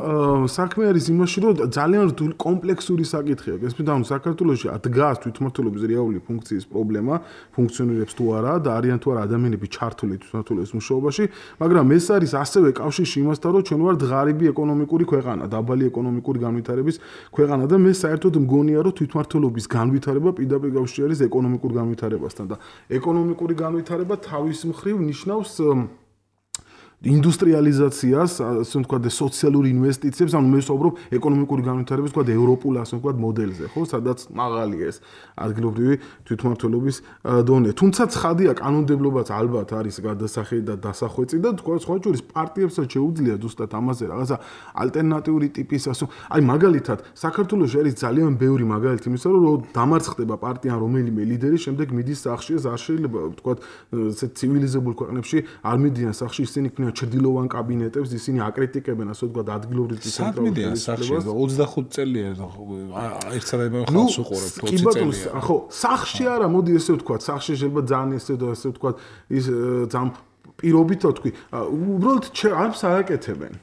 საქმე არის იმაში, რომ ძალიან რთული კომპლექსური საკითხია. გესმით, ანუ საქართველოში დგას თვითმმართველობის რეალური ფუნქციის პრობლემა, ფუნქციონირებს თუ არა და არიან თუ არა ადამიანები ჩართული თვითმმართველობის მუშაობაში, მაგრამ ეს არის ასევე კავშირში იმასთან, რომ ჩვენ ვართ ღარიბი ეკონომიკური ქვეყანა, დაბალი ეკონომიკური განვითარების ქვეყანა და მე საერთოდ მგონია, რომ თვითმმართველობის განვითარება პირდაპირ კავშირში არის ეკონომიკურ განვითარებასთან და ეკონომიკური განვითარება თავის მხრივ ნიშნავს ინდუსტრიალიზაციას, ასე ვთქვათ, სოციალურ ინვესტიციებს, ანუ მე ვსაუბრობ ეკონომიკური განვითარების, ვთქვათ, ევროპულ, ასე ვთქვათ, მოდელზე, ხო, სადაც მაღალია ეს ადგილობრივი თვითმმართველობის დონე. თუმცა ცხადია, კანონმდებლობაც ალბათ არის გადასახედი და დასახვეწი და თქვა სხვა შორის პარტიებსაც შეუძლია ზუსტად ამაზე რაღაცა ალტერნატიული ტიპის, აი მაგალითად, საქართველოში არის ძალიან ბევრი მაგალითი იმისა, რომ დამარცხდება პარტია რომელიმე ლიდერი, შემდეგ მიდის სახში, არ შეიძლება ვთქვათ, ესე ცივილიზებულ ქვეყნებში არ მიდიან სახში, ისინი ქმნიან ჩრდილოვან კაბინეტებს, ისინი აკრიტიკებენ, ასე ვთქვათ, ადგილობრივ ცენტრალურ სახში 25 წელია ერთსა ხალხს უყურებთ 20 წელია. ხო, სახში არა, მოდი ესე ვთქვათ, სახში შეიძლება ძალიან ესე ვთქვათ, ის ძალიან პირობით თქვი, უბრალოდ არც არაკეთებენ.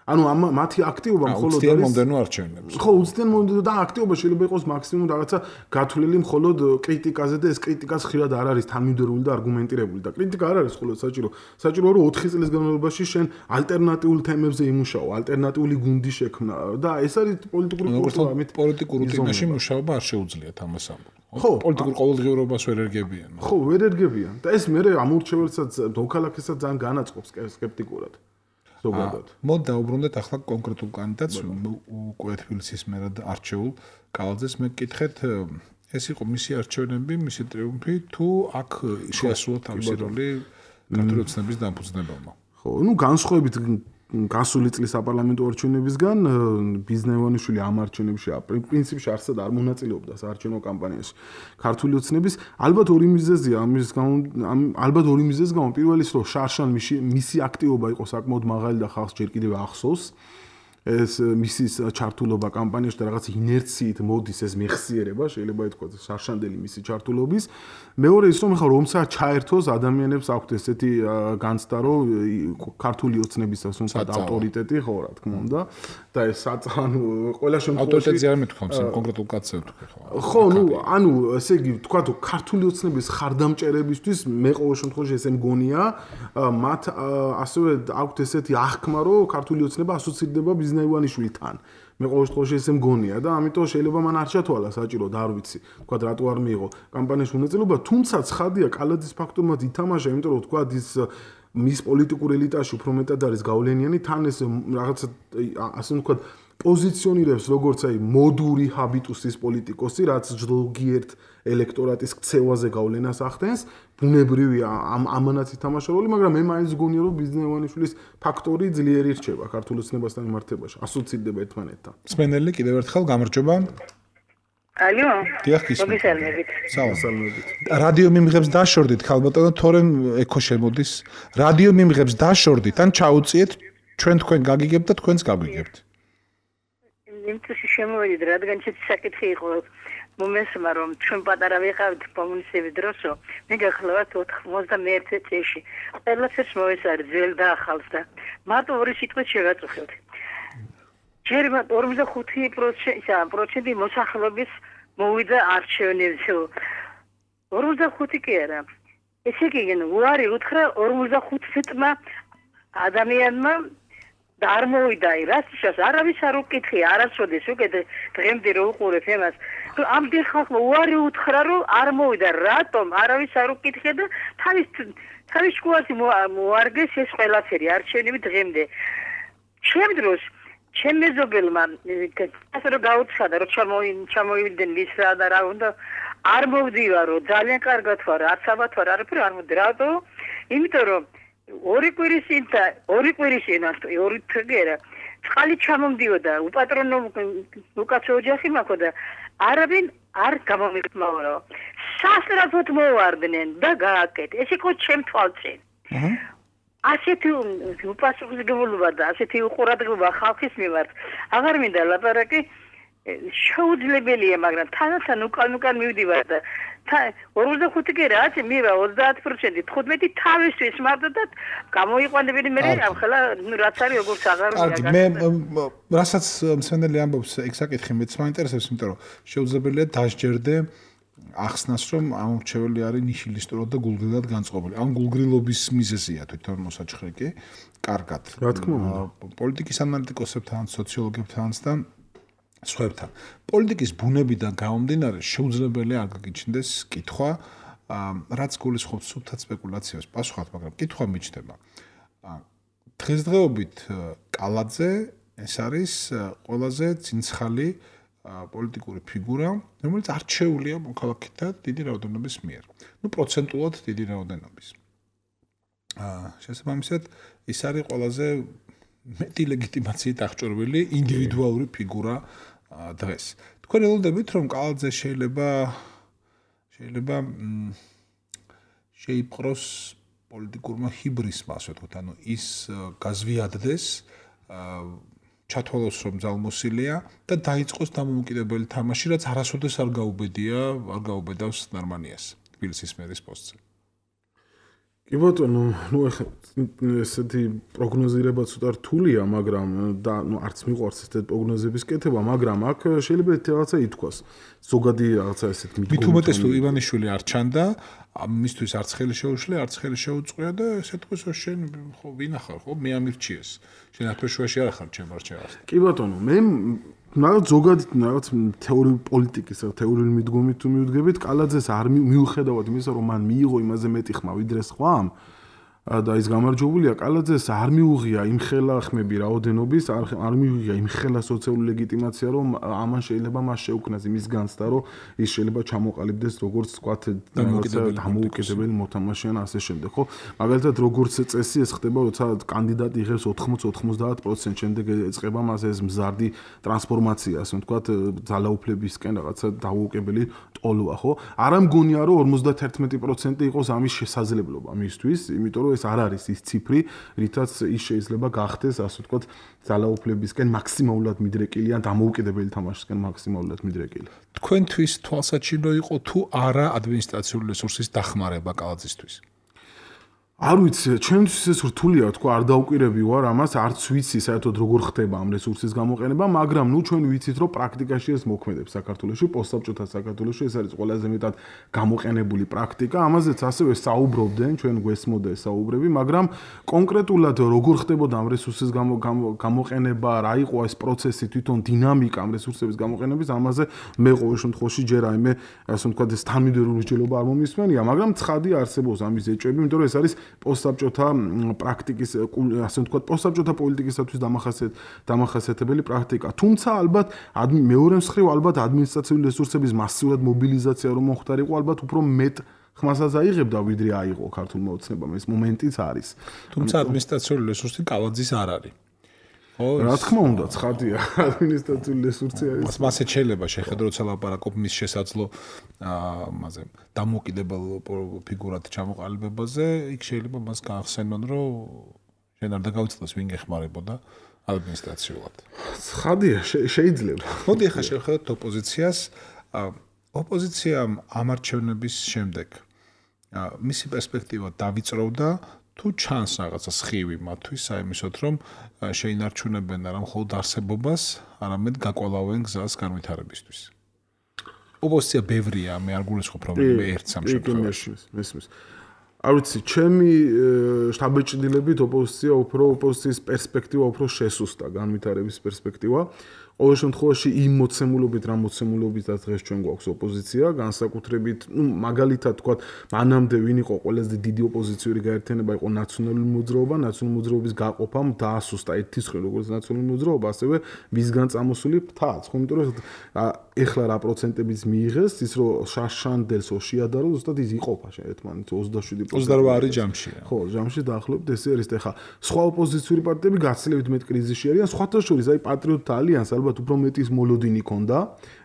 ანუ მათი აქტივობა მხოლოდ არის მომდენო არჩევნებს. ხო, უცდენ მომდენო და აქტივობა შეიძლება იყოს მაქსიმუმ რაღაცა გათვლილი მხოლოდ კრიტიკაზე და ეს კრიტიკაც ხშირად არ არის თანმიმდევრული და არგუმენტირებული და კრიტიკა არ არის მხოლოდ საჭირო. საჭიროა რომ 4 წლის განმავლობაში შენ ალტერნატიულ თემებზე იმუშაო, ალტერნატიული გუნდი შექმნა და ეს არის პოლიტიკური კულტურა, ამით პოლიტიკურ რუტინაში მუშაობა არ შეუძლიათ ამას ამბობ. ხო, პოლიტიკურ ყოველდღიურობას ვერ ერგებიან. ხო, ვერ ერგებიან და ეს მე ამურჩეველსაც მოქალაქესაც ძალიან განაწყობს სკეპტიკურად. მოდ დაუბრუნდეთ ახლა კონკრეტულ კანდიდატს უკვე თბილისის მერად არჩეულ კალაძეს მე გკითხეთ ეს იყო მისი არჩევნები, მისი ტრიუმფი თუ აქ შეასრულა თავისი როლი ქართული ოცნების დამფუძნებელმა. ხო, ну განსხვავებით გასული წლის საპარლამენტო არჩევნებისგან ბიზნევანიშვილი ამ არჩევნებში პრინციპში არსად არ მონაწილეობდა საარჩევნო კამპანიაში. ქართული ოცნების ალბათ ორი მიზეზია ამის გამო, ალბათ ორი მიზეზის გამო. პირველი ის რომ შარშან მისი აქტივობა იყო საკმაოდ მაღალი და ხალხს ჯერ კიდევ ახსოვს. ეს მისის ჩართულობა კამპანიაში და რაღაც ინერციით მოდის ეს მეხსიერება, შეიძლება ითქვას შარშანდელი მისი ჩართულობის. მეორე ის რომ ხა რომცა ჩაერთოს ადამიანებს აქვთ ესეთი განცდა რომ ქართული ოცნების ასე ვთქვათ ავტორიტეტი ხო რა თქმა უნდა და ეს ანუ ყველა შემთხვევაში ავტორიტეტი არ მეთქვამს კონკრეტულ კაცზე ვთქვი ხო. ხო, ну, ანუ ესე იგი ვთქვათ ქართული ოცნების ხარდამჭერებისთვის მე ყოველ შემთხვევაში ესე მგონია მათ ასევე აქვთ ესეთი აღქმა რომ ქართული ოცნება ასოცირდება ბიზნევანიშვილთან. მე ყოველ შემთხვევაში ესე მგონია და ამიტომ შეიძლება მან არ ჩათვალა საჭირო და არ ვიცი ვთქვათ რატო არ მიიღო კამპანიაში მონაწილეობა, თუმცა ცხადია კალაძის ფაქტობრივად ითამაშა, იმიტომ რომ ვთქვათ ის მის პოლიტიკურ ელიტაში უფრო მეტად არის გავლენიანი, თან ეს რაღაცა ასე ვთქვათ პოზიციონირებს როგორც აი მოდური ჰაბიტუსის პოლიტიკოსი, რაც ზოგიერთ ელექტორატის ქცევაზე გავლენას ახდენს, ბუნებრივია ამანაც ითამაშა როლი, მაგრამ მე მაინც გონია რომ ბიზნევანიშვილის ფაქტორი ძლიერი რჩება ქართულ ოცნებასთან მიმართებაში, ასოცირდება ერთმანეთთან. სმენელი კიდევ ერთხელ გამარჯობა. ალო. დიახ, გისმენთ. მოგესალმებით. სალამებით. რადიო მიმღებს დაშორდით, ხალბატონო, თორემ ექო შემოდის. რადიო მიმღებს დაშორდით, ან ჩაუწიეთ, თქვენ გაგიგებთ და თქვენც გაგვიგებთ. იმწუში შემოვიდით, რადგან ჩემი საკითხი იყო მომესმა რომ ჩვენ პატარა ვიყავით კომუნისტების დროსო, მე გახლავთ 91 წელში. ყველაფერს მოესწარ ძველ და ახალს და მარტო ორი სიტყვით შევაწუხებთ. ჯერმა 45% მოსახლეობის მოვიდა არჩევნებზე. 45 კი არა. ესე იგი, უარი უთხრა 45-მა ადამიანმა და არ მოვიდა რასიშას არავის არ უკითხია არასოდეს უკეთ დღემდე რო უყურებ ემას ამ ხალხმა უარი უთხრა რომ არ მოვიდა რატომ არავის არ უკითხია და თავის შუაში მოარგეს ეს ყველაფერი არჩევნები დღემდე ჩემ დროს ჩემ მეზობელმა ასე რომ გაუცხადა რომ ჩამოვიდნენ მისრა და რა უნდა არ მოვდივარო ძალიან კარგად ვარ არც ალბათ ვარ არაფერი არ მოვდი რატო იმიტომ რომ ორი კვირის ორი თგერა წყალი ჩამომდიოდა უპატრონო უკაცო ოჯახი მაქვს და არავინ არ გამომიყმაურო სასწრაფოდ მოვარდნენ და გააკეთე ეს იყო ჩემ თვალწინ ასეთი უპასუხისმგებლობა და ასეთი უყურადღება ხალხის მიმართ აღარ მინდა ლაპარაკი შეუძლებელია მაგრამ თანათან უკან მივდივარ და 45 კი რა მივა 30% 15 თავისთვის მარტო და გამოიყვანებელი მე ახლა რაც არის როგორც აღარ ვიგა მე რასაც მსმენელი ამბობს ეგ საკითხი მეც მაინტერესებს იმიტომ რომ შეუძლებელია დასჯერდე ახსნას რომ ამორჩეველი არის ნიშილისტურად და გულგრილად განწყობილი ამ გულგრილობის მიზეზია თვითონ მოსაჩხრეკი კარგად რა თქმა უნდა პოლიტიკის ანალიტიკოსებთან სოციოლოგებთან და სხვებთან. პოლიტიკის ბუნებიდან გამომდინარე შეუძლებელია არ გაგიჩნდეს კითხვა, რაც გულისხმობს სუფთად სპეკულაციას, პასუხად, მაგრამ კითხვა მიჩნდება. დღესდღეობით კალაძე ეს არის ყველაზე ცინცხალი პოლიტიკური ფიგურა, რომელიც არჩეულია მოქალაქეთა დიდი რაოდენობის მიერ. პროცენტულად დიდი რაოდენობის. შესაბამისად, ის არის ყველაზე მეტი ლეგიტიმაციით აღჭურვილი ინდივიდუალური ფიგურა დღეს. თქვენ ელოდებით, რომ კალაძე შეიძლება შეიპყროს პოლიტიკურმა ჰიბრისმა, ასე ვთქვათ, ანუ ის გაზვიადდეს, ჩათვალოს რომ ძალმოსილია და დაიწყოს დამოუკიდებელი თამაში, რაც არასოდეს არ გაუბედავს ნარმანიას თბილისის მერის პოსტზე. კი ბატონო, ეხლა ესეთი პროგნოზირება ცოტა რთულია, მაგრამ და არც მიყვარს ესეთი პროგნოზების კეთება, მაგრამ აქ შეიძლება რაღაცა ითქვას. ზოგადი რაღაცა ესეთ მიდგომა. მით უმეტეს თუ ივანიშვილი არ ჩანდა, მისთვის არც ხელი შეუშლია, არც ხელი შეუწყია და ესე თქვეს, რომ შენ ხო ვინ ახარ, ხო მე ამირჩიეს. შენ აფეშუაში არ ახარ ჩემ არჩევას. კი ბატონო, მე რაღაც ზოგადი რაღაც თეორიული პოლიტიკის, თეორიული მიდგომით თუ მივდგებით, კალაძეს არ მიუხედავად იმისა, რომ მან მიიღო იმაზე მეტი ხმა ვიდრე სხვამ და ის გამარჯვებულია, კალაძეს არ მიუღია იმ ხელა ხმები რაოდენობის, არ მიუღია იმ ხელა სოციალური ლეგიტიმაცია, რომ ამან შეიძლება მას შეუქმნას იმის განცდა, რომ ის შეიძლება ჩამოყალიბდეს როგორც თქვათ დამოუკიდებელი მოთამაშე ან ასე შემდეგ, ხო? მაგალითად, როგორც წესი ეს ხდება, როცა კანდიდატი იღებს 80-90%, შემდეგ ეწყება მას ეს მზარდი ტრანსფორმაცია, ასე ვთქვათ, ძალაუფლებისკენ რაღაცა დაუუკებელი ტოლვა, ხო? არ ამგონია, რომ 51% იყოს ამის შესაძლებლობა მისთვის, იმიტომ რომ ეს არ არის ის ციფრი, რითაც ის შეიძლება გახდეს, ასე ვთქვათ, ძალაუფლებისკენ მაქსიმალურად მიდრეკილი ან დამოუკიდებელი თამაშისკენ მაქსიმალურად მიდრეკილი. თქვენთვის თვალსაჩინო იყო თუ არა ადმინისტრაციული რესურსის დახმარება კალაძისთვის? არ ვიცი, ჩემთვის ეს რთულია თქვა, არ დაუკვირები ვარ ამას, არც ვიცი საერთოდ როგორ ხდება ამ რესურსის გამოყენება, მაგრამ ჩვენ ვიცით, რომ პრაქტიკაში ეს მოქმედებს საქართველოში, პოსტსაბჭოთა საქართველოში ეს არის ყველაზე მეტად გამოყენებული პრაქტიკა, ამაზეც ასევე საუბრობდნენ, ჩვენ გვესმოდა ეს საუბრები, მაგრამ კონკრეტულად როგორ ხდებოდა ამ რესურსის გამოყენება, რა იყო ეს პროცესი, თვითონ დინამიკა ამ რესურსების გამოყენების, ამაზე მე ყოველ შემთხვევაში ჯერ აიმე, ასე ვთქვათ, ეს თანმიმდევრული მსჯელობა არ მომისმენია, მაგრამ ცხადი არსებობს ამის ეჭვები, იმიტომ რომ ეს არის პოსტსაბჭოთა პრაქტიკის, ასე ვთქვათ, პოსტსაბჭოთა პოლიტიკისათვის დამახასიათებელი პრაქტიკა. თუმცა ალბათ მეორე მხრივ ალბათ ადმინისტრაციული რესურსების მასიურად მობილიზაცია რომ მოხდარიყო, ალბათ უფრო მეტ ხმასაც აიღებდა, ვიდრე აიღო ქართულმა ოცნებამ. ეს მომენტიც არის. თუმცა ადმინისტრაციული რესურსი კალაძის არ არის. რა თქმა უნდა, ცხადია, ადმინისტრაციული რესურსი არის. მასე შეიძლება შეხედო, როცა ლაპარაკობ მის შესაძლო მასე დამოუკიდებელ ფიგურად ჩამოყალიბებაზე, იქ შეიძლება მას გაახსენონ, რომ შენ არ დაგავიწყდეს ვინ გეხმარებოდა ადმინისტრაციულად. ცხადია, შეიძლება. მოდი ახლა შევხედოთ ოპოზიციას. ოპოზიციამ ამარჩევნების შემდეგ მისი პერსპექტივა დავიწროვდა თუ ჩანს რაღაცა სხივი მათთვის საიმისოდ, რომ შეინარჩუნებენ არა მხოლოდ არსებობას, არამედ გაკვალავენ გზას განვითარებისთვის. ოპოზიცია ბევრია, მე არ გულისხმობ, რომ ერთს ამ შემთხვევაში. მესმის. არ ვიცი, ჩემი შთაბეჭდილებით ოპოზიციის პერსპექტივა უფრო შესუსტა, განვითარების პერსპექტივა. ყოველ შემთხვევაში იმ მოცემულობით, რა მოცემულობითაც დღეს ჩვენ გვაქვს ოპოზიცია, განსაკუთრებით, მაგალითად თქვათ, მანამდე ვინ იყო ყველაზე დიდი ოპოზიციური გაერთიანება, იყო ნაციონალური მოძრაობა, ნაციონალური მოძრაობის გაყოფამ დაასუსტა ერთის ხრი, როგორც ნაციონალური მოძრაობა, ასევე მისგან წამოსული ფთაც, ხო, იმიტომ რომ ეხლა რა პროცენტებიც მიიღეს, ის რომ შაშანდელს ოშიადარო, ზუსტად ის იყოფა ერთმანეთს 27%. 28 არის ჯამში. ხო, ჯამში დაახლოებით ესე არის. ეხლა სხვა ოპოზიციური პარტიები გაცილებით მეტ კრიზისში არიან, სხვათა შორის აი პატრიოტთა ალიანსი ალბათ უფრო მეტი ის მოლოდინი ქონდა.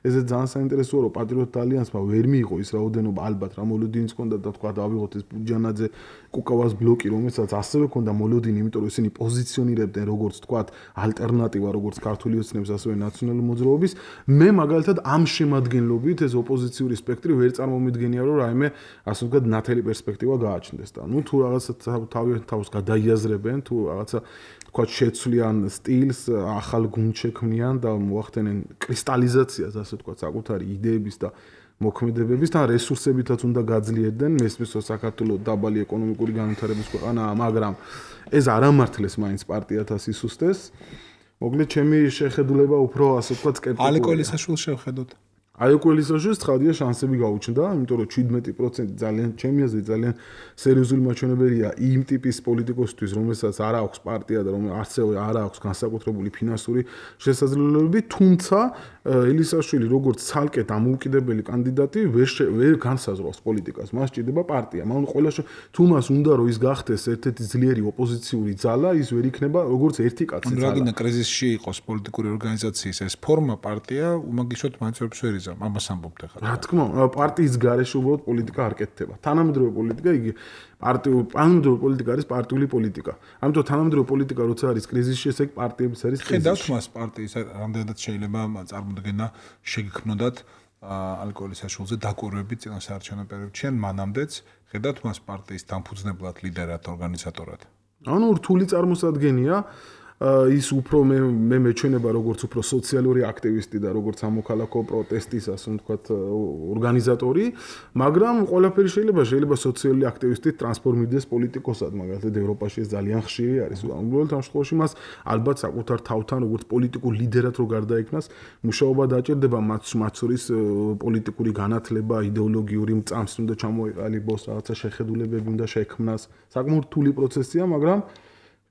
ესეც ძალიან საინტერესოა, რომ პატრიოტთა ალიანსმა ვერ მიიღო ის რაოდენობა, ალბათ რა მოლოდინიც ქონდა და თქვა დავიღოთ ეს პუჯანაძე კუკავას ბლოკი, რომელსაც ასევე ქონდა მოლოდინი, იმიტომ რომ ისინი პოზიციონირებდნენ როგორც თქვა ალტერნატივა, როგორც ქართული ოცნების, ასევე ნაციონალური მოძრაობის. მე მაგალითად ამ შემადგენლობით ეს ოპოზიციური სპექტრი ვერ წარმომიდგენია, რომ რაიმე ასე ვთქვათ ნათელი პერსპექტივა გააჩნდეს და ნუ თუ რაღაცა თავიანთ თავს გადაიაზრებენ, თუ რაღაცა თქვა შეცვლიან სტილს, ახალ გუნდს შექმნიან და მოახდენენ კრისტალიზაციას, ასე ვთქვათ, საკუთარი იდეების და მოქმედებების და რესურსებითაც უნდა გაძლიერდნენ, მესმის საქართველოს დაბალი ეკონომიკური განვითარების ქვეყანაა, მაგრამ ეს არ ამართლეს მაინც პარტიათა სისუსტეს. მოკლედ ჩემი შეხედულება უფრო ასე ვთქვათ სკეპტიკურია. ალეკო ელისაშვილს შევხედოთ. აი ყველისაშიც ცხადია შანსები გაუჩნდა, იმიტომ რომ 17% ძალიან ჩემი აზრით ძალიან სერიოზული მაჩვენებელია იმ ტიპის პოლიტიკოსთვის, რომელსაც არ აქვს პარტია და რომელიც ასევე არ აქვს განსაკუთრებული ფინანსური შესაძლებლობები, თუმცა ელისაშვილი როგორც ცალკე დამოუკიდებელი კანდიდატი ვერ განსაზღვრავს პოლიტიკას, მას ჭირდება პარტია. მაგრამ ყველა თუ მას უნდა რომ ის გახდეს ერთ-ერთი ძლიერი ოპოზიციური ძალა, ის ვერ იქნება როგორც ერთი კაცი ძალა. რადგან კრიზისში იყოს პოლიტიკური ორგანიზაციის ეს ფორმა პარტია, უმაგისოდ მაინც ვერ ამას ამბობთ ახლა. რა თქმა უნდა, პარტიის გარეშე უბრალოდ პოლიტიკა არ კეთდება. თანამედროვე პოლიტიკა იგი თანამედროვე პოლიტიკა არის პარტიული პოლიტიკა. ამიტომ თანამედროვე პოლიტიკა როცა არის კრიზისში, ესე იგი პარტიების არის კრიზისი. ხედავთ მას პარტიის რამდენადაც შეიძლება წარმოდგენა შეგქმნოდათ ალკოჰოლის საშუალზე დაკვირვებით წინა საარჩევნო პერიოდში ან მანამდეც ხედავთ მას პარტიის დამფუძნებლად, ლიდერად, ორგანიზატორად. ანუ რთული წარმოსადგენია ის უფრო მე მეჩვენება როგორც უფრო სოციალური აქტივისტი და როგორც სამოქალაქო პროტესტის ასე ვთქვათ ორგანიზატორი, მაგრამ ყველაფერი შეიძლება სოციალური აქტივისტი ტრანსფორმირდეს პოლიტიკოსად, მაგალითად ევროპაში ეს ძალიან ხშირი არის. უბრალოდ ამ შემთხვევაში მას ალბათ საკუთარ თავთან როგორც პოლიტიკურ ლიდერად რო გარდაიქმნას, მუშაობა დაჭირდება მათ შორის პოლიტიკური განათლება, იდეოლოგიური მწამსი უნდა ჩამოეყალიბოს, რაღაცა შეხედულებები უნდა შექმნას. საკმაოდ რთული პროცესია, მაგრამ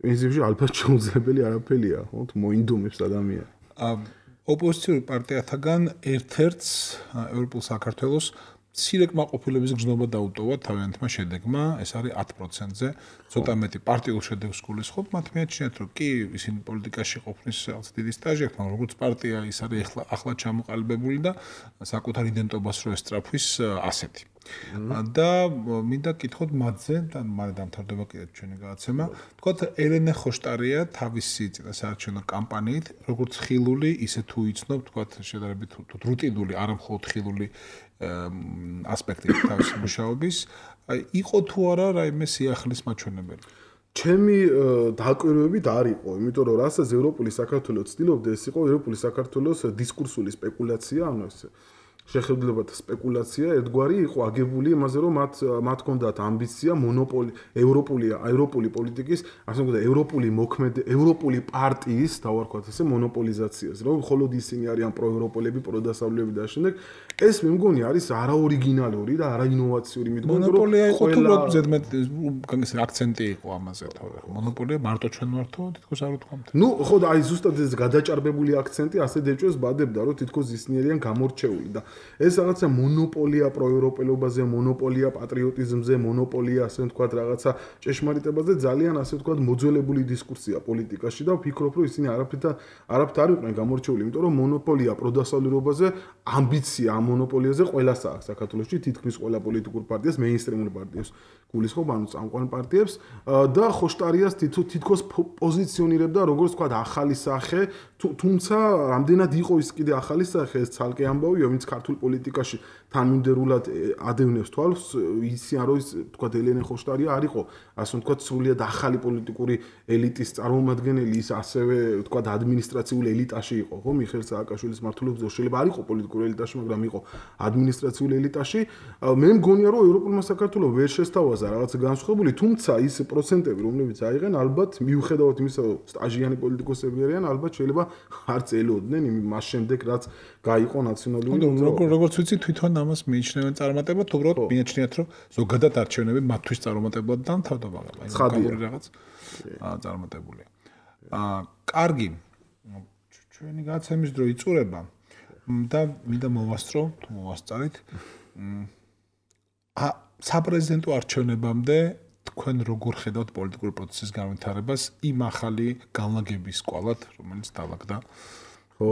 პრინციპში ალბათ შეუძლებელი არაფერია, ხო, მოინდომებს ადამიანი. ოპოზიციური პარტიათაგან ერთ-ერთს ევროპულ საქართველოს მცირე კმაყოფილების გზნობა დაუტოვა თავიანთმა შედეგმა, ეს არის 10%-ზე, ცოტა მეტი პარტიულ შედეგს გულისხმობ, მათ მიაჩნიათ, რომ კი ისინი პოლიტიკაში ყოფნის რაღაც დიდი სტაჟი აქვს, მაგრამ როგორც პარტია ის არის ახლა ჩამოყალიბებული და საკუთარ იდენტობას რო ესწრაფვის ასეთი. და მინდა კითხოთ მათზე და მალე დამთავრდება კიდე ჩვენი გადაცემა. თქვათ ელენე ხოშტარია თავისი წინასაარჩევნო კამპანიით, როგორც ხილული, ისე თუ იცნობ, თქვათ შედარებით რუტინული, არა მხოლოდ ხილული ასპექტი თავისი მუშაობის, იყო თუ არა რაიმე სიახლის მაჩვენებელი? ჩემი დაკვირვებით არ იყო, იმიტომ რომ რასაც ევროპული საქართველო ცდილობდა, ეს იყო ევროპული საქართველოს დისკურსული სპეკულაცია, ანუ ეს შეხედულებათა სპეკულაცია ერთგვარი იყო აგებული იმაზე, რომ მათ ჰქონდათ ამბიცია მონოპოლი ევროპული პოლიტიკის, ასე ვთქვათ, ევროპული პარტიის, დავარქვათ ესე, მონოპოლიზაციას, რომ მხოლოდ ისინი არიან პროევროპელები, პროდასავლელები და შემდეგ ეს მე მგონი არის არაორიგინალური და არაინოვაციური, მითხო, რომ მონოპოლია იყო თუ რა ზედმეტ აქცენტი იყო ამაზე თორე. მონოპოლია მარტო ჩვენ ვართო, თითქოს არ უთქვამთ. ნუ ხო და აი ზუსტად ეს გადაჭარბებული აქცენტი ასე დეჭვეს ბადებდა, რომ თითქოს ისინი არიან გამორჩეული და ეს რაღაცა მონოპოლია პროევროპელობაზე, მონოპოლია პატრიოტიზმზე, მონოპოლია ასე ვთქვათ რაღაცა ჭეშმარიტებაზე ძალიან ასე ვთქვათ მოძველებული დისკურსია პოლიტიკაში და ვფიქრობ, რომ ისინი არაფრით არ იყვნენ გამორჩეული, იმიტომ რომ მონოპოლია პროდასავლერობაზე, ამბიცია ამ მონოპოლიაზე ყველას აქვს საქართველოში, თითქმის ყველა პოლიტიკურ პარტიას, მეინსტრიმულ პარტიებს გულისხმობ, ანუ წამყვან პარტიებს და ხოშტარიას თითქოს პოზიციონირებდა როგორც ვთქვათ ახალი სახე, თუმცა რამდენად იყო ის კიდე ახალი სახე, ეს ცალკე ამბავია, ვინც ქართულ პოლიტიკაში თანმიმდევრულად ადევნებს თვალს, ისი არ არის ვთქვათ ელენე ხოშტარია არ იყო, ასე ვთქვათ სრულიად ახალი პოლიტიკური ელიტის წარმომადგენელი, ის ასევე ვთქვათ ადმინისტრაციულ ელიტაში იყო, ხო, მიხეილ სააკაშვილის მმართველობის დროს შეიძლება არ იყო პოლიტიკურ ელიტაში, მაგრამ იყო ადმინისტრაციულ ელიტაში. მე მგონია, რომ ევროპულმა საქართველოს ვერ შესთავაზა რაღაც განსხვავებული, თუმცა ის პროცენტები, რომლებიც აიღენ, ალბათ მიუხედავად იმისა, რომ სტაჟიანი პოლიტიკოსები არიან, ალბათ შეიძლება არც ელოდნენ მას შემდეგ, რაც გაიყო ნაციონალური. როგორც ვიცი, თვითონ ამას მიიჩნევენ წარმატებად, უბრალოდ მიაჩნიათ, რომ ზოგადად არჩევნები მათთვის წარმატებულად დამთავრდა, მაგრამ აი გამური რაღაც წარმატებულია. კარგი. ჩვენი გადაცემის დრო იწურება და მინდა მოვასწრო, თუ მოვასწარით. საპრეზიდენტო არჩევნებამდე თქვენ როგორ ხედავთ პოლიტიკური პროცესის განვითარებას იმ ახალი განლაგების სკვალად, რომელიც დაალაგდა? ხო,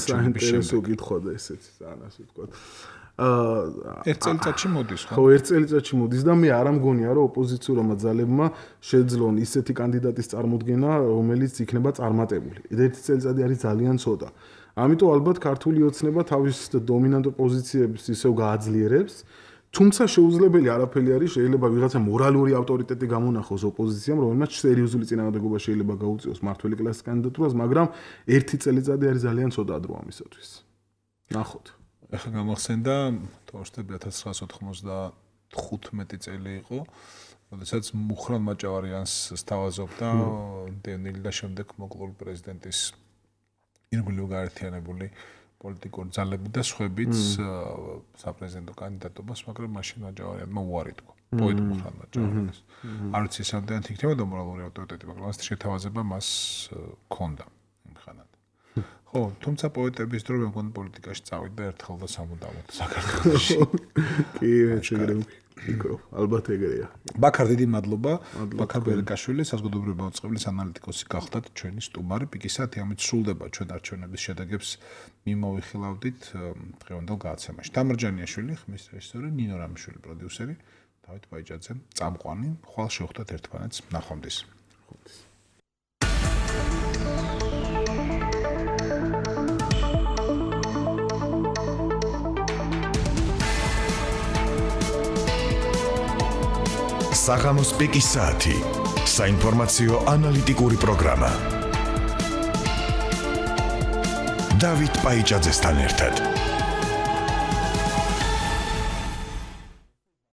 საინტერესო კითხვაა ესეც, ასე ვთქვათ. ერთ წელიწადში მოდის, ხო? ხო, ერთ წელიწადში მოდის და მე არ ამგონია, რომ ოპოზიციურმა ძალებმა შეძლონ ისეთი კანდიდატის წარმოდგენა, რომელიც იქნება წარმატებული. ერთი წელიწადი არის ძალიან ცოტა. ამიტომ ალბათ ქართული ოცნება თავის დომინანტურ პოზიციებს ისევ გააძლიერებს. თუმცა შეუძლებელი არაფერი არის, შეიძლება ვიღაცა მორალური ავტორიტეტი გამონახოს ოპოზიციამ, რომელმაც სერიოზული წინააღმდეგობა შეიძლება გაუწიოს მართველი კლასის კანდიდატურას, მაგრამ ერთი წელიწადი არის ძალიან ცოტა დრო ამისათვის. ნახოთ. ახლა გამახსენდა თორშტები 1995 წელი იყო, როდესაც მუხრან მაჭავარიანს სთავაზობდა დენილი და შემდეგ მოკლული პრეზიდენტის ირგვლივ გაერთიანებული პოლიტიკური ძალები და სხვებიც საპრეზიდენტო კანდიდატობას, მაგრამ მაშინ მაჯავარიანმა უარი თქვა. პოეტ მუხრანმა ჯავარიანს. არ ვიცი სამდენად იქნებოდა მორალური ავტორიტეტი, მაგრამ ეს შეთავაზება მას ჰქონდა იმხანად. ხო, თუმცა პოეტების დრო მეგონა პოლიტიკაში წავიდა ერთხელ და სამუდამოდ საქართველოში. კი, შეგრემ იქო, ალბათ ეგრეა. ბაქარ, დიდი მადლობა. ბაქარ ბერკაშვილი, საზოგადოებრივი მოწყობილების ანალიტიკოსი გახდათ ჩვენი სტუმარი. პიკისათი ამით სრულდება ჩვენ არჩევნების შედეგებს მიმოვიხილავდით დღევანდელ გადაცემაში. დამარჯანიაშვილი, ხმის რეჟისორი, ნინო რამიშვილი პროდიუსერი, დავით ბაიჯაძე, წამყვანი. ხვალ შევხვდეთ ერთმანეთს. ნახვამდის. საღამოს პიკის საათი. საინფორმაციო ანალიტიკური პროგრამა. დავით ბაიჯაძესთან ერთად.